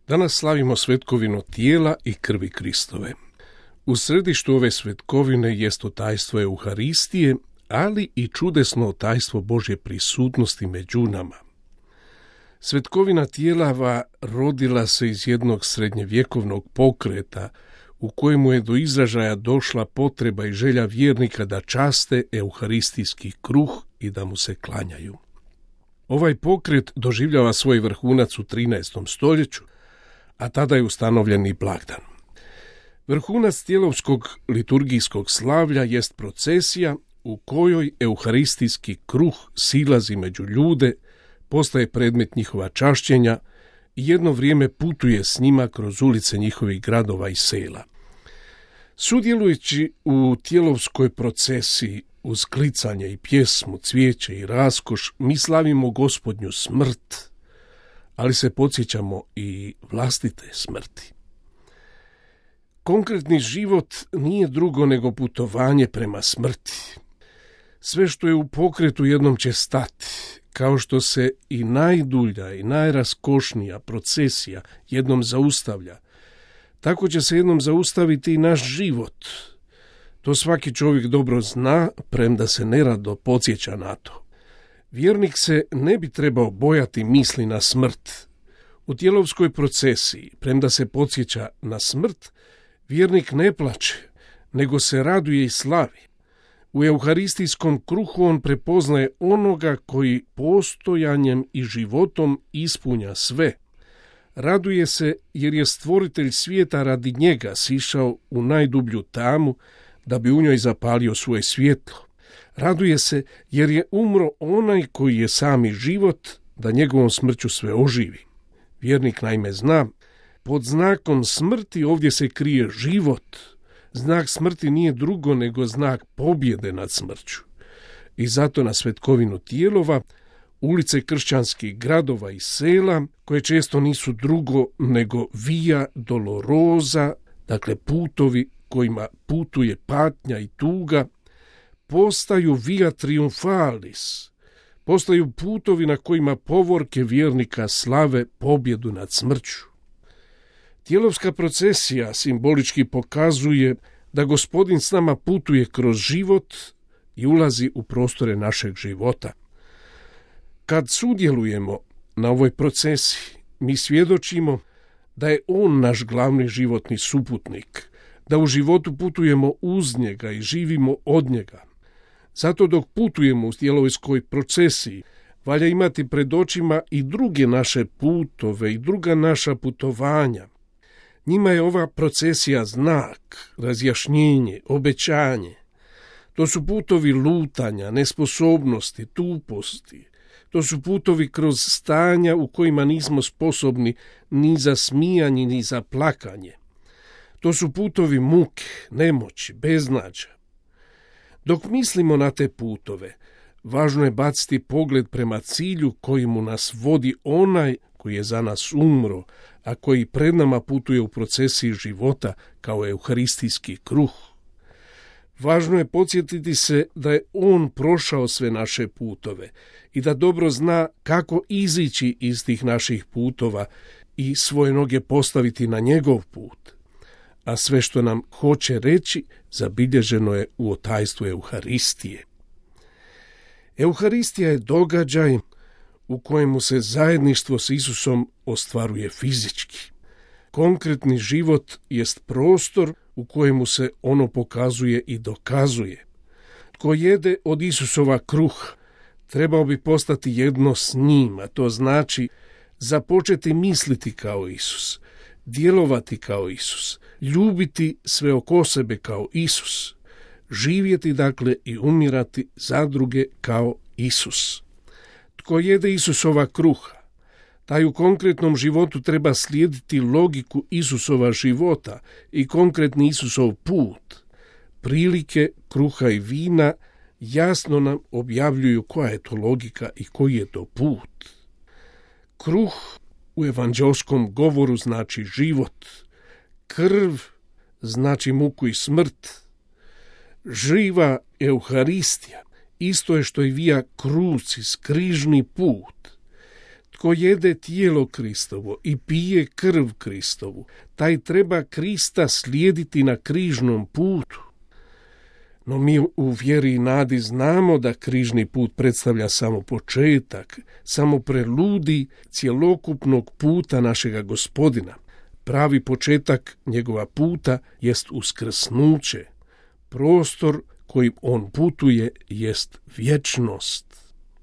Danas slavimo svetkovinu tijela i krvi Kristove. U središtu ove svetkovine jest tajstvo Euharistije, ali i čudesno tajstvo Božje prisutnosti među nama. Svetkovina tijelava rodila se iz jednog srednjevjekovnog pokreta u kojemu je do izražaja došla potreba i želja vjernika da časte euharistijski kruh i da mu se klanjaju. Ovaj pokret doživljava svoj vrhunac u 13. stoljeću, a tada je ustanovljen i blagdan. Vrhunac tijelovskog liturgijskog slavlja jest procesija u kojoj euharistijski kruh silazi među ljude, postaje predmet njihova čašćenja i jedno vrijeme putuje s njima kroz ulice njihovih gradova i sela. Sudjelujući u tijelovskoj procesiji uz klicanje i pjesmu, cvijeće i raskoš, mi slavimo Gospodnju smrt, ali se podsjećamo i vlastite smrti. Konkretni život nije drugo nego putovanje prema smrti. Sve što je u pokretu jednom će stati, kao što se i najdulja i najraskošnija procesija jednom zaustavlja, tako će se jednom zaustaviti i naš život. To svaki čovjek dobro zna, premda se nerado podsjeća na to. Vjernik se ne bi trebao bojati misli na smrt. U tijelovskoj procesiji, premda se podsjeća na smrt, vjernik ne plače, nego se raduje i slavi. U euharistijskom kruhu on prepoznaje onoga koji postojanjem i životom ispunja sve. Raduje se jer je stvoritelj svijeta radi njega sišao u najdublju tamu da bi u njoj zapalio svoje svjetlo. Raduje se jer je umro onaj koji je sami život, da njegovom smrću sve oživi. Vjernik naime zna, pod znakom smrti ovdje se krije život. Znak smrti nije drugo nego znak pobjede nad smrću. I zato na svetkovinu tijelova, ulice kršćanskih gradova i sela, koje često nisu drugo nego via dolorosa, dakle putovi kojima putuje patnja i tuga, postaju via triumfalis, postaju putovi na kojima povorke vjernika slave pobjedu nad smrću. Tijelovska procesija simbolički pokazuje da Gospodin s nama putuje kroz život i ulazi u prostore našeg života. Kad sudjelujemo na ovoj procesiji, mi svjedočimo da je On naš glavni životni suputnik, da u životu putujemo uz njega i živimo od njega. Zato dok putujemo u tijelovskoj procesiji, valja imati pred očima i druge naše putove i druga naša putovanja. Njima je ova procesija znak, razjašnjenje, obećanje. To su putovi lutanja, nesposobnosti, tuposti. To su putovi kroz stanja u kojima nismo sposobni ni za smijanje, ni za plakanje. To su putovi muke, nemoći, beznađa. Dok mislimo na te putove, važno je baciti pogled prema cilju kojemu nas vodi onaj koji je za nas umro, a koji pred nama putuje u procesiji života kao euharistijski kruh. Važno je podsjetiti se da je On prošao sve naše putove i da dobro zna kako izići iz tih naših putova i svoje noge postaviti na njegov put. A sve što nam hoće reći zabilježeno je u tajstvu Euharistije. Euharistija je događaj u kojemu se zajedništvo s Isusom ostvaruje fizički. Konkretni život jest prostor u kojemu se ono pokazuje i dokazuje. Tko jede od Isusova kruha, trebao bi postati jedno s njim, a to znači započeti misliti kao Isus, djelovati kao Isus, ljubiti sve oko sebe kao Isus, živjeti dakle i umirati za druge kao Isus. Tko jede Isusova kruha, taj u konkretnom životu treba slijediti logiku Isusova života i konkretni Isusov put. Prilike kruha i vina jasno nam objavljuju koja je to logika i koji je to put. Kruh u evanđelskom govoru znači život, krv znači muku i smrt. Živa Euharistija isto je što i via krucis, križni put. Tko jede tijelo Kristovo i pije krv Kristovu, taj treba Krista slijediti na križnom putu. No mi u vjeri i nadi znamo da križni put predstavlja samo početak, samo preludij cjelokupnog puta našega Gospodina. Pravi početak njegova puta jest uskrsnuće. Prostor kojim on putuje jest vječnost.